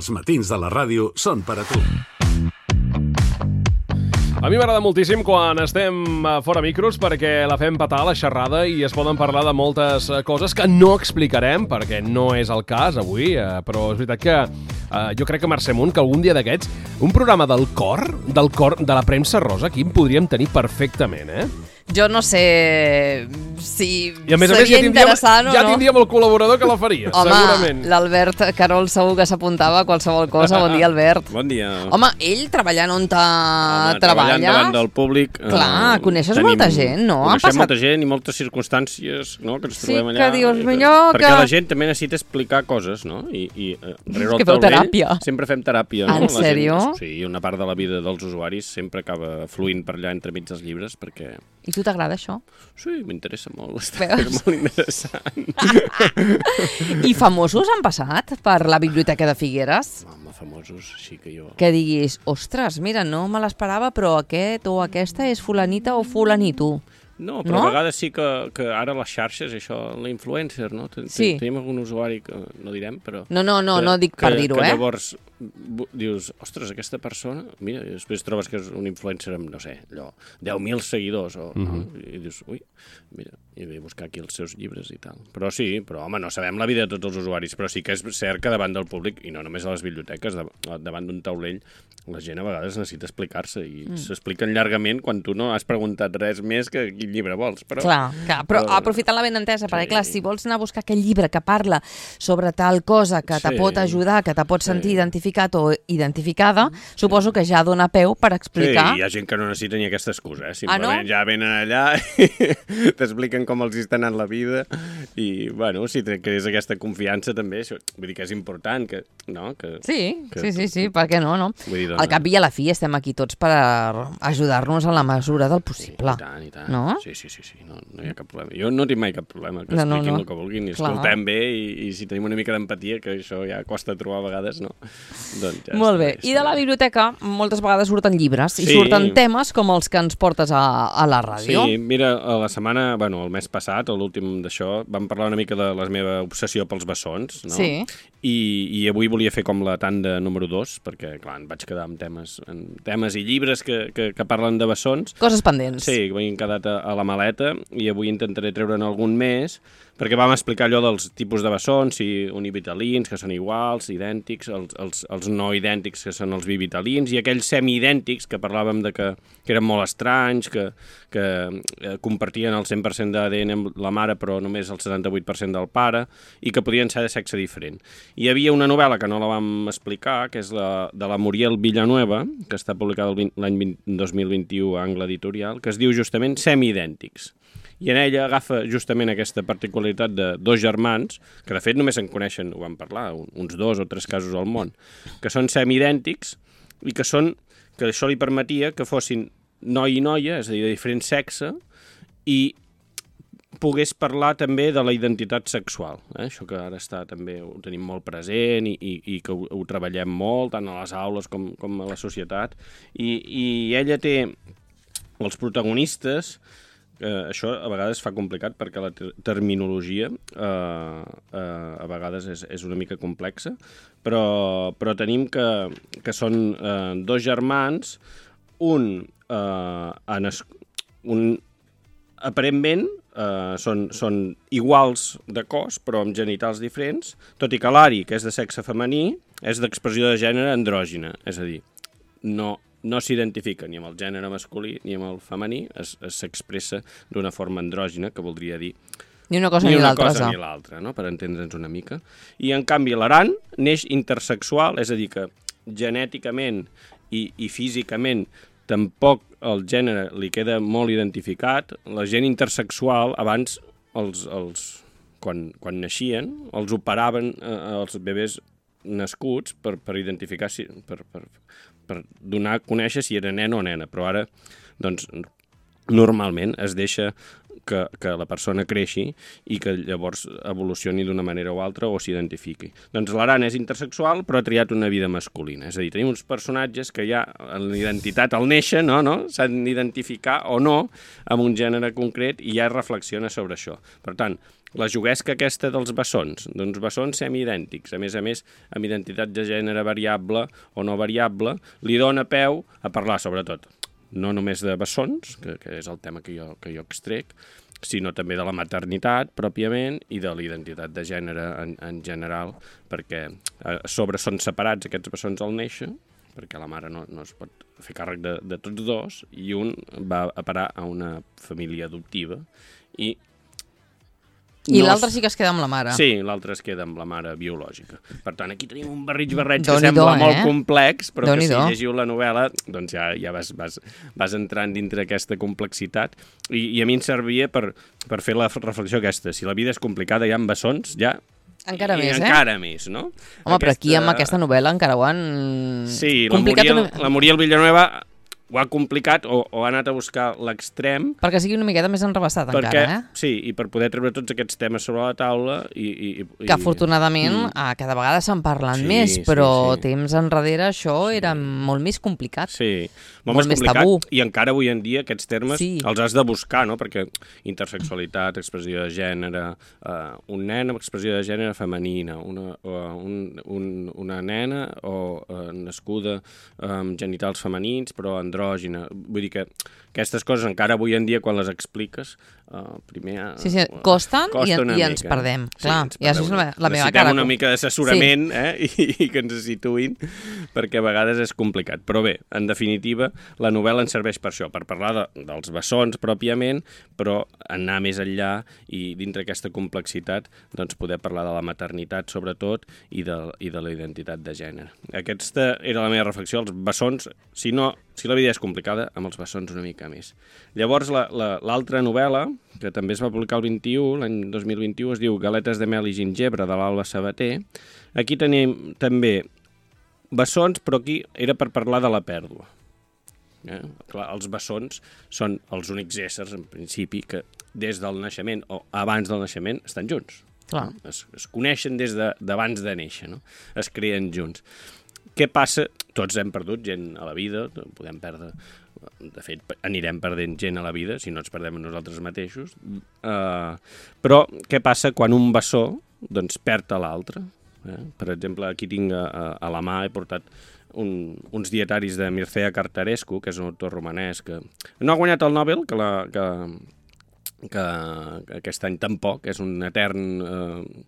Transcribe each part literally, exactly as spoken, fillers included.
Els matins de la ràdio són per a tu. A mi m'agrada moltíssim quan estem fora micros perquè la fem petar la xerrada i es poden parlar de moltes coses que no explicarem perquè no és el cas avui, però és veritat que eh, jo crec que Mercè Munt, que algun dia d'aquests, un programa del cor, del cor de la premsa rosa, aquí en podríem tenir perfectament, eh? Jo no sé si I a més a més seria ja tindríem, interessant o ja no. tindríem el col·laborador que la faria, Home, segurament. l'Albert Carol segur que s'apuntava a qualsevol cosa. Bon dia, Albert. Bon dia. Home, ell treballant on Home, treballa... treballant davant del públic... Clar, eh, coneixes tenim, molta gent, no? Ha Coneixem passat... molta gent i moltes circumstàncies, no?, que ens Sí, trobem allà. que dius, i millor perquè que- la gent també necessita explicar coses, no? I, i eh, rere que el feu taulell teràpia. sempre fem teràpia, no? En La gent- sèrio? Sí, una part de la vida dels usuaris sempre acaba fluint per allà entremig dels llibres, perquè... I tu t'agrada això? Sí, m'interessa molt, està Veus? molt interessant. I famosos han passat per la Biblioteca de Figueres? Home, famosos, sí que jo... Que diguis, ostres, mira, no me l'esperava, però aquest o aquesta és fulanita o fulanito. No, però No? a vegades sí que, que ara les xarxes, això, l'influencer, no? Ten- ten- Sí. Tenim algun usuari que no direm, però... No, no, no, que, no dic per que- dir-ho, que eh? llavors bu- dius, ostres, aquesta persona... Mira, i després trobes que és un influencer amb, no sé, allò, deu mil seguidors, o, uh -huh. no? I dius, ui, mira, i ve a buscar aquí els seus llibres i tal. Però sí, però home, no sabem la vida de tots els usuaris, però sí que és cert que davant del públic, i no només a les biblioteques, dav- davant d'un taulell, la gent a vegades necessita explicar-se i mm. s'expliquen llargament quan tu no has preguntat res més que quin llibre vols. Però... Clar, clar, però Però- aprofitant la benentesa, perquè Sí. clar, si vols anar a buscar aquell llibre que parla sobre tal cosa que te Sí. pot ajudar, que te pot sentir Sí. identificat o identificada, suposo que ja dona peu per explicar. Sí, hi ha gent que no necessita ni aquesta excusa, eh? Ah, no? Simplement ja venen allà i t'expliquen com els està anant la vida i, bueno, si te crees aquesta confiança també, això, vull dir que és important, que, no? Que, Sí, que, sí, sí, sí, per què no, no? Vull dir, doncs, Al cap i a la fi estem aquí tots per ajudar-nos en la mesura del possible. I tant, i tant. No? Sí, sí, sí, sí, no, no hi ha cap problema. Jo no tinc mai cap problema, que No, no, expliquin no. el que vulguin i Clar. escoltem bé i, i si tenim una mica d'empatia, que això ja costa trobar a vegades, no? Doncs ja Molt bé. està, I de la biblioteca moltes vegades surten llibres i Sí. surten temes com els que ens portes a, a la ràdio. Sí, mira, a la setmana, bueno, el mes passat, l'últim d'això, vam parlar una mica de la meva obsessió pels bessons, no? Sí. I, i avui volia fer com la tanda número dos, perquè, clar, em vaig quedar amb temes, amb temes i llibres que, que, que parlen de bessons. Coses pendents. Sí, que m'han quedat a, a la maleta i avui intentaré treure'n algun més, perquè vam explicar allò dels tipus de bessons, si univitalins, que són iguals, idèntics, els, els, els no idèntics, que són els bivitalins, i aquells semiidèntics, que parlàvem de que, que eren molt estranys, que, que eh, compartien el cent per cent d'A D N amb la mare, però només el setanta-vuit per cent del pare, i que podien ser de sexe diferent. Hi havia una novel·la que no la vam explicar, que és la de la Muriel Villanueva, que està publicada l'any dos mil vint-i-u a Angle Editorial, que es diu justament Semiidèntics. I en ella agafa justament aquesta particularitat de dos germans, que de fet només en coneixen, ho vam parlar, uns dos o tres casos al món, que són semiidèntics i que són que això li permetia que fossin noi i noia, és a dir, de diferent sexe, i pogués parlar també de la identitat sexual. Eh? Això que ara està també ho tenim molt present i, i, i que ho, ho treballem molt, tant a les aules com, com a la societat. I, i ella té els protagonistes. Eh, això a vegades fa complicat perquè la ter terminologia eh, eh, a vegades és, és una mica complexa, però, però tenim que, que són eh, dos germans, un, eh, en es, un aparentment eh, són, són iguals de cos, però amb genitals diferents, tot i que l'Ari, que és de sexe femení, és d'expressió de gènere andrògina, és a dir, no... no s'identifica ni amb el gènere masculí ni amb el femení, s'expressa d'una forma andrògina, que voldria dir Ni una cosa ni, ni, una l'altra. cosa ni l'altra, no? Per entendre'ns una mica. I, en canvi, l'Aran neix intersexual, és a dir, que genèticament i, i físicament tampoc el gènere li queda molt identificat. La gent intersexual, abans, els, els, quan, quan naixien, els operaven eh, els bebès nascuts per, per identificar, si, per, per, per donar a conèixer si era nen o nena, però ara, doncs, normalment es deixa que, que la persona creixi i que llavors evolucioni d'una manera o altra o s'identifiqui. Doncs l'Aran és intersexual però ha triat una vida masculina, és a dir, tenim uns personatges que ja en l'identitat al néixer no, no? S'han d'identificar o no amb un gènere concret i ja reflexiona sobre això. Per tant, la juguesca aquesta dels bessons, d'uns bessons semiidèntics, a més a més, amb identitat de gènere variable o no variable, li dona peu a parlar, sobretot, no només de bessons, que, que és el tema que jo, que jo extrec, sinó també de la maternitat, pròpiament, i de la identitat de gènere en, en general, perquè a sobre són separats aquests bessons al néixer, perquè la mare no, no es pot fer càrrec de, de tots dos, i un va a parar a una família adoptiva, i I no l'altre es... sí que es queda amb la mare. Sí, l'altre es queda amb la mare biològica. Per tant, aquí tenim un barrig-barreig que Déu-n'hi-do, sembla eh? molt complex, però que si Déu-n'hi-do. llegiu la novel·la, doncs ja, ja vas, vas, vas entrant dintre aquesta complexitat. I, i a mi em servia per, per fer la reflexió aquesta. Si la vida és complicada ja amb bessons, ja... Encara I, més, eh? encara més, no? Home, aquesta... però aquí amb aquesta novel·la encara ho han Sí, la complicat Muriel, una... la Muriel Villanueva ho ha complicat o, o ha anat a buscar l'extrem. Perquè sigui una miqueta més enrevessat perquè, encara, eh? Sí, i per poder treure tots aquests temes sobre la taula i... i, i Que afortunadament mm. eh, cada vegada se'n parlen sí, més, sí, però sí. temps enrere això sí. era molt més complicat. Sí, molt, molt més més complicat. tabú. I encara avui en dia aquests termes Sí. els has de buscar, no? Perquè intersexualitat, expressió de gènere, uh, un nen amb expressió de gènere femenina, una, uh, un, un, una nena o uh, nascuda amb genitals femenins però andrògina. Vull dir que aquestes coses encara avui en dia quan les expliques uh, primer... Uh, Sí, sí, costen i, costa una i ens mica. perdem. Sí, Clar, ens i això és la, la meva cara. Necessitem una mica d'assessorament sí. eh? I, i que ens situïn perquè a vegades és complicat. Però bé, en definitiva, la novel·la ens serveix per això, per parlar de, dels bessons pròpiament, però anar més enllà i dintre aquesta complexitat doncs poder parlar de la maternitat sobretot i de, i de la identitat de gènere. Aquesta era la meva reflexió, els bessons, si no, si la vida és complicada, amb els bessons una mica més. Llavors, l'altra la, novel·la, que també es va publicar el vint-i-u, l'any dos mil vint-i-u, es diu Galetes de mel i gingebre, de l'Alba Sabater. Aquí tenim també bessons, però aquí era per parlar de la pèrdua. Eh? Clar, els bessons són els únics éssers, en principi, que des del naixement o abans del naixement estan junts. Clar. Es, es coneixen des d'abans de, de néixer, no? Es creen junts. Què passa? Tots hem perdut gent a la vida, podem perdre... De fet, anirem perdent gent a la vida, si no ens perdem nosaltres mateixos. Uh, però què passa quan un bessó doncs, perd a l'altre? Eh? Per exemple, aquí tinc a, a la mà, he portat un, uns dietaris de Mircea Cartarescu, que és un autor romanès que no ha guanyat el Nobel, que, la, que, que, que aquest any tampoc, és un etern eh,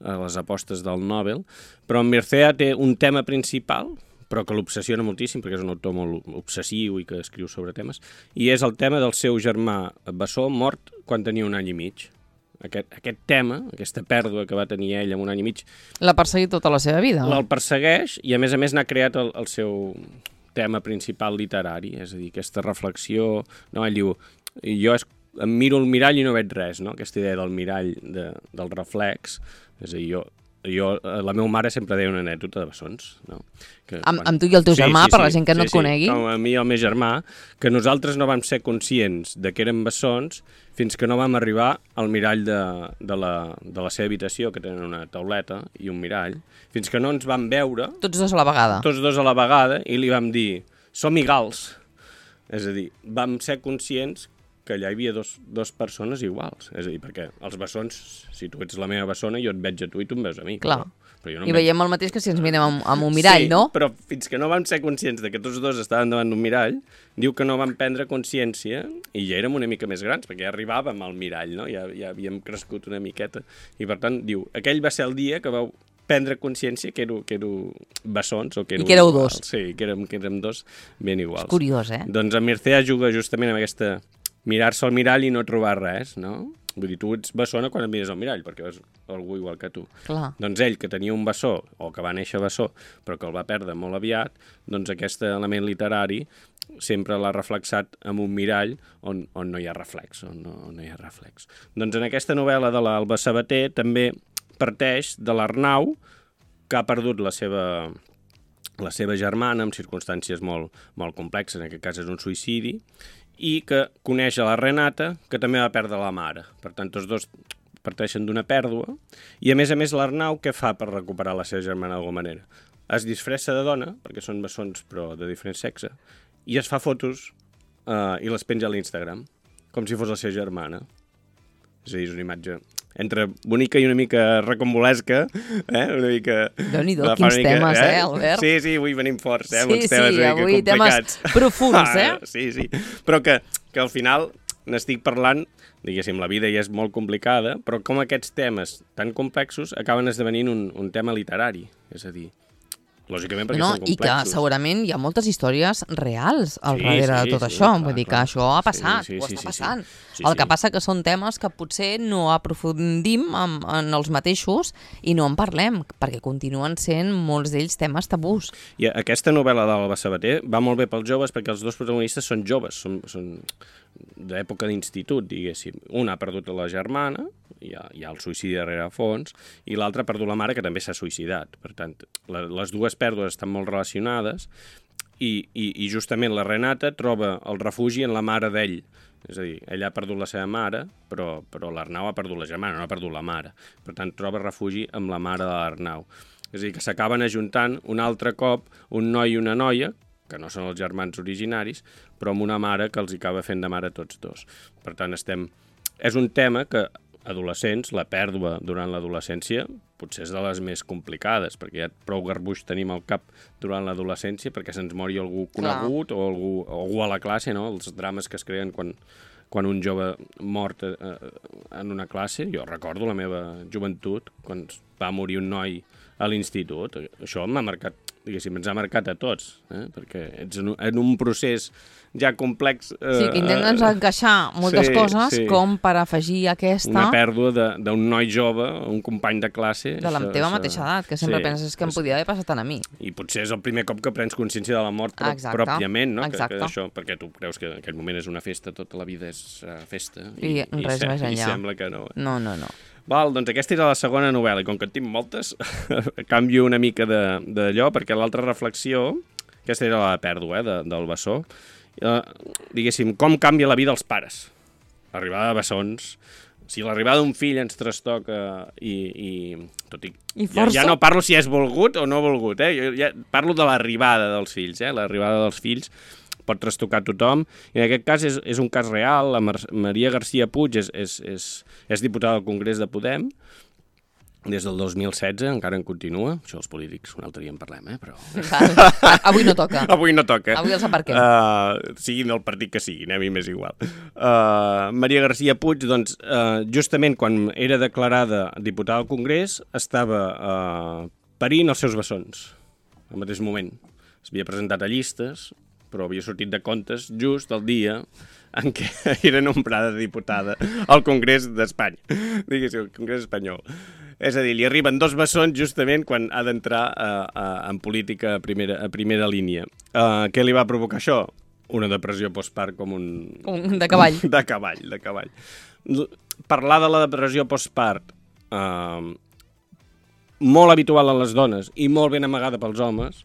a les apostes del Nobel, però en Mircea té un tema principal, però que l'obsessiona moltíssim, perquè és un autor molt obsessiu i que escriu sobre temes, i és el tema del seu germà bessó mort quan tenia un any i mig. Aquest, aquest tema, aquesta pèrdua que va tenir ell en un any i mig... L'ha perseguit tota la seva vida? El persegueix i, a més a més, n'ha creat el, el seu tema principal literari, és a dir, aquesta reflexió... No, ell diu, jo es, em miro el mirall i no veig res, no? Aquesta idea del mirall, de, del reflex, és a dir, jo... Jo, la meva mare sempre deia una anècdota de bessons, no? Que amb, quan... amb tu i el teu germà, sí, sí, per la gent que sí, no et sí, conegui? Com a mi i el meu germà, que nosaltres no vam ser conscients de que eren bessons fins que no vam arribar al mirall de, de, la, de la seva habitació, que tenen una tauleta i un mirall, fins que no ens vam veure... Tots dos a la vegada? Tots dos a la vegada, i li vam dir, som igals. És a dir, vam ser conscients que allà hi havia dos, dos persones iguals. És a dir, perquè els bessons, si tu ets la meva bessona, jo et veig a tu i tu em veus a mi. Clar. Però, però jo no I veig... veiem el mateix que si ens mirem amb, amb un mirall, sí, no? Sí, però fins que no vam ser conscients de que tots dos estaven davant d'un mirall, diu que no vam prendre consciència, i ja érem una mica més grans, perquè ja arribàvem al mirall, no? Ja, ja havíem crescut una miqueta. I per tant, diu, aquell va ser el dia que vau prendre consciència que éreu, que éreu bessons o que éreu I que éreu iguals. dos. Sí, que érem, que érem dos ben iguals. És curiós, eh? Doncs en Mircea juga justament amb aquesta mirar-se al mirall i no trobar res, no? Vull dir, tu ets bessona quan et mires al mirall, perquè veus algú igual que tu. Clar. Doncs ell, que tenia un bessó, o que va néixer bessó, però que el va perdre molt aviat, doncs aquest element literari sempre l'ha reflexat amb un mirall on, on no hi ha reflex, on no, on no hi ha reflex. Doncs en aquesta novel·la de l'Alba Sabater també parteix de l'Arnau, que ha perdut la seva, la seva germana en circumstàncies molt, molt complexes, en aquest cas és un suïcidi, i que coneix a la Renata, que també va perdre la mare. Per tant, tots dos parteixen d'una pèrdua, i a més a més l'Arnau què fa per recuperar la seva germana d'alguna manera? Es disfressa de dona, perquè són bessons però de diferent sexe, i es fa fotos eh, i les penja a l'Instagram, com si fos la seva germana. És a dir, és una imatge... entre bonica i una mica recombolesca, eh? Una mica... Déu-n'hi-do, quins mica, temes, eh, Albert? Sí, sí, avui venim forts, eh, sí, amb uns temes sí, una mica avui complicats. Temes profuns, eh? Ah, sí, sí, però que, que al final n'estic parlant, diguéssim, la vida ja és molt complicada, però com aquests temes tan complexos acaben esdevenint un, un tema literari, és a dir, lògicament perquè no, són complexos. I que segurament hi ha moltes històries reals al sí, darrere sí, de tot sí, això. clar, Vull dir que clar. això ha passat, sí, sí, ho sí, està sí, passant. Sí, sí. El que passa que són temes que potser no aprofundim en, en els mateixos i no en parlem, perquè continuen sent molts d'ells temes tabús. I aquesta novel·la d'Alba Sabater va molt bé pels joves perquè els dos protagonistes són joves, són, són d'època d'institut, diguéssim. Un ha perdut la germana, hi ha, hi ha el suïcidi darrere fons, i l'altre ha perdut la mare, que també s'ha suïcidat. Per tant, la, les dues pèrdues estan molt relacionades i, i, i justament la Renata troba el refugi en la mare d'ell. És a dir, ella ha perdut la seva mare, però, però l'Arnau ha perdut la germana, no ha perdut la mare. Per tant, troba refugi amb la mare de l'Arnau. És a dir, que s'acaben ajuntant un altre cop un noi i una noia, que no són els germans originaris, però amb una mare que els hi acaba fent de mare tots dos. Per tant, estem... És un tema que adolescents, la pèrdua durant l'adolescència, potser és de les més complicades, perquè ja prou garbuix tenim al cap durant l'adolescència, perquè se'ns mori algú conegut o algú, o algú a la classe, no? Els drames que es creen quan, quan un jove mort eh, en una classe. Jo recordo la meva joventut, quan va morir un noi a l'institut. Això m'ha marcat, diguéssim, ens ha marcat a tots, eh? Perquè ets en un, en un procés ja complex. Eh, sí, que intenten eh, encaixar moltes sí, coses sí. com per afegir aquesta... Una pèrdua d'un noi jove, un company de classe. De la això, teva això... mateixa edat, que sempre sí, penses que em podia haver passat tant a mi. I potser és el primer cop que prens consciència de la mort pro exacte, pròpiament, no? Exacte. Que, que això, perquè tu creus que en aquell moment és una festa, tota la vida és uh, festa. I, I res i, més enllà. I sembla que no. Eh? No, no, no. Val, doncs aquesta era la segona novel·la, i com que en tinc moltes, canvio una mica d'allò, perquè l'altra reflexió, aquesta era la pèrdua eh, de, del bessó, eh, diguéssim, com canvia la vida dels pares. L'arribada de bessons, si l'arribada d'un fill ens trastoca i, i tot i, I ja, ja no parlo si és volgut o no volgut, eh? Jo ja parlo de l'arribada dels fills, eh? L'arribada dels fills pot trastocar tothom, i en aquest cas és, és un cas real. La Mar Maria García Puig és, és, és, és diputada al Congrés de Podem des del dos mil setze, encara en continua. Això els polítics un altre dia en parlem, eh? Però... Avui no toca. Avui no toca. Avui els aparquem. Uh, siguin el partit que siguin, a mi m'és igual. Uh, Maria García Puig, doncs, uh, justament quan era declarada diputada al Congrés, estava uh, parint els seus bessons, al mateix moment. S'havia presentat a llistes, però havia sortit de comptes just el dia en què era nombrada diputada al Congrés d'Espanya, diguéssim, el Congrés espanyol. És a dir, li arriben dos bessons justament quan ha d'entrar uh, uh, en política a primera, a primera línia. Uh, què li va provocar això? Una depressió postpart com un... un de cavall. De cavall, de cavall. Parlar de la depressió postpart, uh, molt habitual en les dones i molt ben amagada pels homes,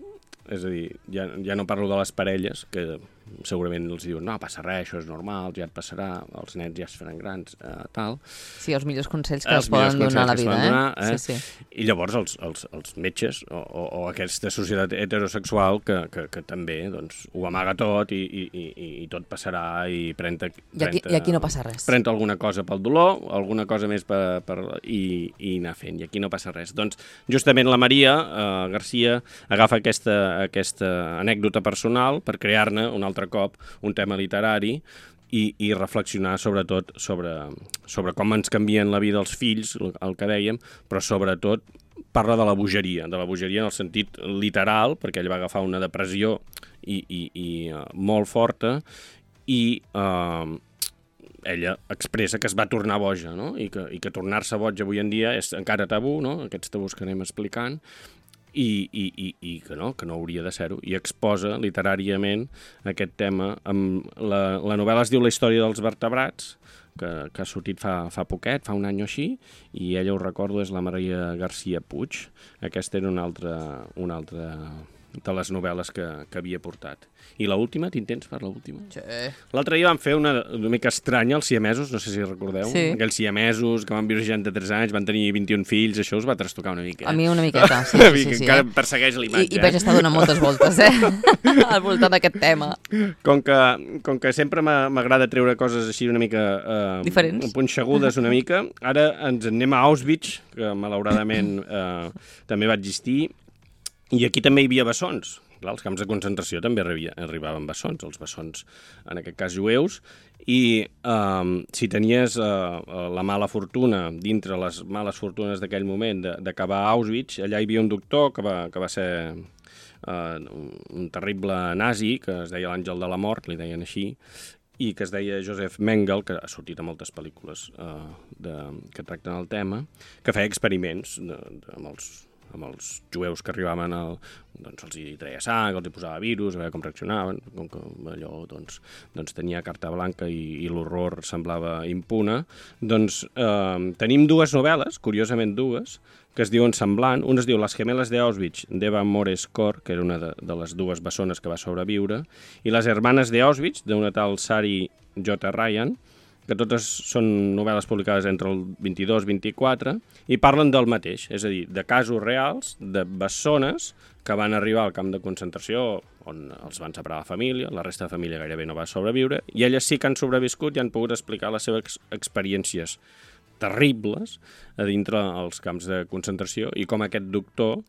és a dir, ja, ja no parlo de les parelles, que segurament els diuen no, passa res, això és normal, ja et passarà, els nens ja es faran grans, eh, tal. Sí, els millors consells que els es poden donar a la vida, donar, eh? eh? Sí, sí. I llavors els, els, els metges o, o, o aquesta societat heterosexual que, que, que també doncs, ho amaga tot i, i, i, i tot passarà i pren-te... I aquí, I aquí no passa res. Pren alguna cosa pel dolor, alguna cosa més per, per, i, i anar fent, i aquí no passa res. Doncs justament la Maria eh, García agafa aquesta, aquesta anècdota personal per crear-ne un altre cop un tema literari i, i reflexionar sobretot sobre, sobre com ens canvien la vida els fills, el que dèiem, però sobretot parla de la bogeria, de la bogeria en el sentit literal, perquè ell va agafar una depressió i, i, i uh, molt forta i uh, ella expressa que es va tornar boja, no? I que, i que tornar-se boja avui en dia és encara tabú, no? Aquests tabús que anem explicant, I, i, i, i que no, que no hauria de ser-ho, i exposa literàriament aquest tema. Amb la, la novel·la es diu La història dels vertebrats, que, que ha sortit fa, fa poquet, fa un any o així, i ella, ho recordo, és la Maria García Puig. Aquesta era una altra, una altra de les novel·les que, que havia portat. I l'última, t'intents per l'última? Sí. L'altre dia van fer una, una mica estranya, els siamesos, no sé si recordeu. Sí. Aquells siamesos que van viure seixanta-tres anys, van tenir vint-i-un fills, això us va trastocar una mica. A mi una miqueta, sí, sí, sí. sí encara eh? persegueix l'imatge. I, I vaig estar donant moltes voltes, eh? Al voltant d'aquest tema. Com que, com que sempre m'agrada treure coses així una mica... Eh, diferents. Punxegudes una mica, ara ens anem a Auschwitz, que malauradament eh, també va existir, i aquí també hi havia bessons. Clar, els camps de concentració també arribaven bessons, els bessons, en aquest cas jueus, i eh, si tenies eh, la mala fortuna, dintre les males fortunes d'aquell moment, d'acabar a Auschwitz, allà hi havia un doctor que va, que va ser eh, un terrible nazi, que es deia l'àngel de la mort, li deien així, i que es deia Josef Mengele, que ha sortit a moltes pel·lícules eh, de, que tracten el tema, que feia experiments de, de, amb els amb els jueus que arribaven, al, doncs els hi treia sang, els hi posava virus, a veure com reaccionaven, com que allò doncs, doncs tenia carta blanca i, i l'horror semblava impune. Doncs eh, tenim dues novel·les, curiosament dues, que es diuen semblant. Una es diu Les gemeles de Auschwitz, d'Eva Mores-Kor, que era una de, de les dues bessones que va sobreviure, i Les hermanes de Auschwitz, d'una tal Sari J. Ryan, que totes són novel·les publicades entre el vint-i-dos i vint-i-quatre, i parlen del mateix, és a dir, de casos reals, de bessones que van arribar al camp de concentració, on els van separar la família, la resta de família gairebé no va sobreviure, i elles sí que han sobreviscut i han pogut explicar les seves experiències terribles a dintre els camps de concentració, i com aquest doctor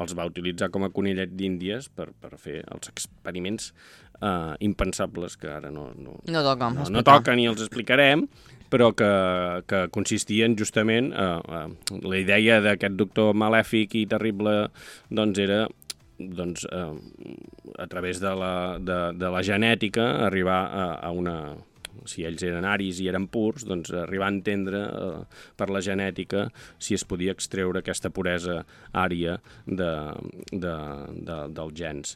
els va utilitzar com a conillet d'índies per, per fer els experiments eh, impensables que ara no, no, no, toca, no, no toquen i els explicarem, però que, que consistien justament, eh, eh, la idea d'aquest doctor malèfic i terrible doncs era doncs, eh, a través de la, de, de la genètica arribar a, a una... si ells eren aris i eren purs, doncs arribar a entendre eh, per la genètica si es podia extreure aquesta puresa ària de, de, de, dels gens.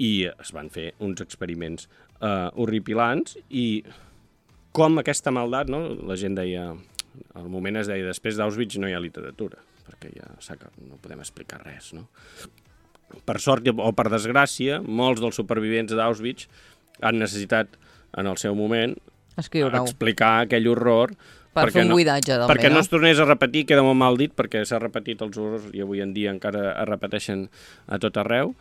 I es van fer uns experiments eh, horripilants, i com aquesta maldat, no? La gent deia, al moment es deia, després d'Auschwitz no hi ha literatura, perquè ja no podem explicar res, no? Per sort o per desgràcia, molts dels supervivents d'Auschwitz han necessitat en el seu moment explicar aquell horror per fer un no, buidatge també, perquè no? no es tornés a repetir, queda molt mal dit, perquè s'ha repetit els horrors i avui en dia encara es repeteixen a tot arreu,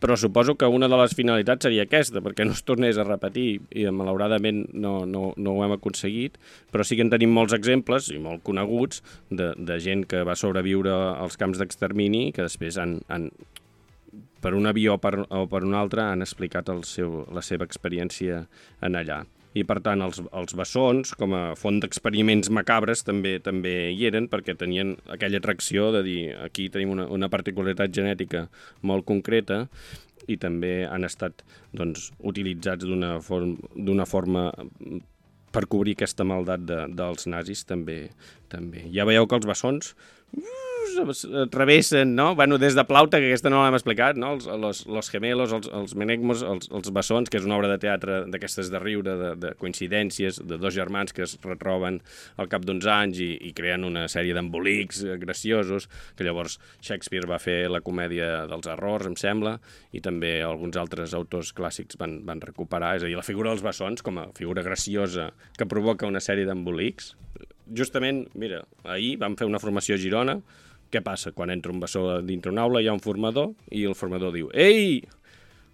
però suposo que una de les finalitats seria aquesta, perquè no es tornés a repetir, i malauradament no, no, no ho hem aconseguit, però sí que en tenim molts exemples, i molt coneguts, de, de gent que va sobreviure als camps d'extermini, que després han, han per una via o per, o per una altra han explicat el seu, la seva experiència en allà. I, per tant, els, els bessons, com a font d'experiments macabres, també també hi eren, perquè tenien aquella atracció de dir aquí tenim una, una particularitat genètica molt concreta, i també han estat doncs, utilitzats d'una form, d'una forma per cobrir aquesta maldat de, dels nazis, també, també. Ja veieu que els bessons travessen, no? Bueno, des de Plauta, que aquesta no l'hem explicat, no? Els, los, los gemelos, els, els menegmos, els, els bessons, que és una obra de teatre d'aquestes de riure, de, de coincidències, de dos germans que es retroben al cap d'uns anys i, i creen una sèrie d'embolics graciosos, que llavors Shakespeare va fer la comèdia dels errors, em sembla, i també alguns altres autors clàssics van, van recuperar, és a dir, la figura dels bessons com a figura graciosa que provoca una sèrie d'embolics. Justament, mira, ahir vam fer una formació a Girona. Què passa? Quan entra un bessó dintre una aula hi ha un formador i el formador diu «Ei!»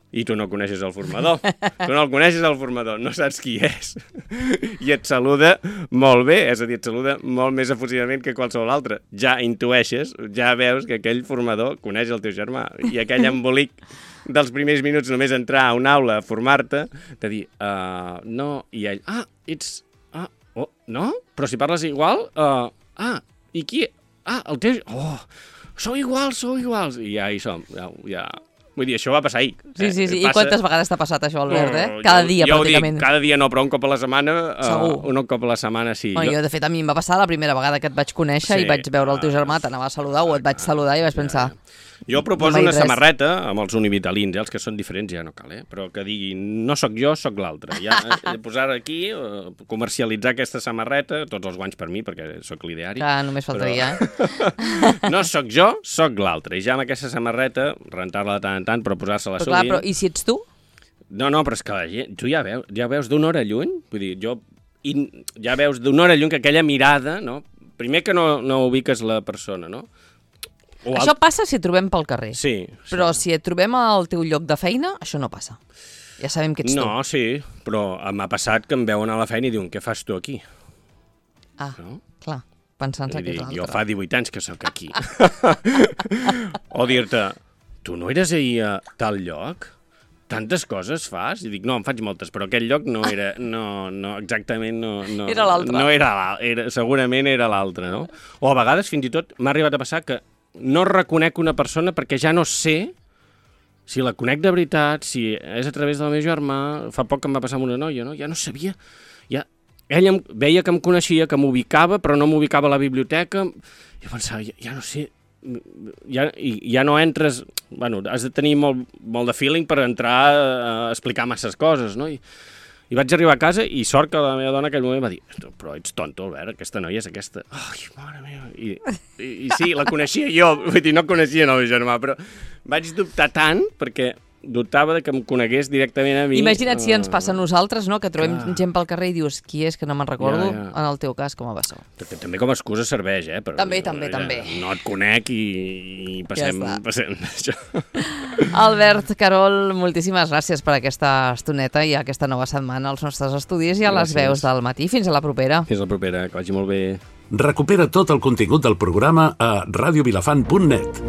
I tu no coneixes el formador. Tu no el coneixes, el formador, no saps qui és. I et saluda molt bé, és a dir, et saluda molt més efusivament que qualsevol altre. Ja intueixes, ja veus que aquell formador coneix el teu germà. I aquell embolic dels primers minuts només entrar a una aula a formar-te, de dir uh, «No», i ell «Ah, ets... Ah, oh, no? Però si parles igual? Uh, ah, i qui...» Ah, el teu... Oh, sou iguals, sou iguals. I ja hi som. Ja, ja... Vull dir, això va passar ahir. Sí, sí, sí. Eh? I quantes vegades t'ha passat això, Albert, eh? Cada dia, jo, pràcticament. Jo ho dic, cada dia no, però un cop a la setmana... Segur. Uh, un cop a la setmana, sí. Bueno, jo, de fet, a mi em va passar la primera vegada que et vaig conèixer sí. i vaig veure el teu germà, t'anava a saludar o et vaig saludar i vaig pensar... Jo proposo no una res. samarreta amb els univitalins, eh? Els que són diferents ja no cal, eh? Però que digui, no sóc jo, sóc l'altre. Ja, eh, posar aquí, eh, comercialitzar aquesta samarreta, tots els guanys per mi, perquè sóc l'ideari. Clar, només faltaria, però... eh? No sóc jo, sóc l'altre. I ja amb aquesta samarreta, rentar-la de tant en tant, però posar-se-la Però, clar, sovint... però, I si ets tu? No, no, però és que la gent, tu ja veus, ja veus d'una hora lluny, vull dir, jo in, ja veus d'una hora lluny que aquella mirada, no? Primer que no, no ubiques la persona, no? O Això passa si et trobem pel carrer. Sí, sí. Però si et trobem al teu lloc de feina, això no passa. Ja sabem que ets no, tu. No, sí, però m'ha passat que em veuen a la feina i diuen, què fas tu aquí? Ah, No? clar, pensant-se que és l'altre. Jo fa divuit anys que sóc aquí. O dir-te, tu no eres ahir a tal lloc? Tantes coses fas? I dic, no, en faig moltes, però aquell lloc no era, no, no exactament, no... no Era l'altre. No era l'altre, segurament era l'altre, no? O a vegades, fins i tot, m'ha arribat a passar que no reconec una persona perquè ja no sé si la conec de veritat, si és a través del meu germà. Fa poc que em va passar amb una noia, no? Ja no sabia... Ja... Ella em, veia que em coneixia, que m'ubicava, però no m'ubicava a la biblioteca. I pensava, ja, ja no sé... Ja, ja no entres... Bueno, has de tenir molt, molt de feeling per entrar a explicar masses coses, no? I, I vaig arribar a casa i sort que la meva dona en aquell moment va dir, però ets tonto, Albert, aquesta noia és aquesta. Ai, mare meva. I, i, i sí, la coneixia jo, vull dir, no coneixia el meu germà, però vaig dubtar tant perquè dubtava de que em conegués directament a mi. Imagina't si ens passa a nosaltres, no? Que trobem Clar. gent pel carrer i dius, qui és, que no me'n recordo, Ja, ja. en el teu cas, com a bessó. Que també com a excusa serveix, eh? Però, També, també, ja, també. No et conec i, i passem, Ja està. passem això. Albert, Carol, moltíssimes gràcies per aquesta estoneta i aquesta nova setmana als nostres estudis i a les Gràcies. veus del matí. Fins a la propera. Fins la propera, que vagi molt bé. Recupera tot el contingut del programa a radiovilafant punt net.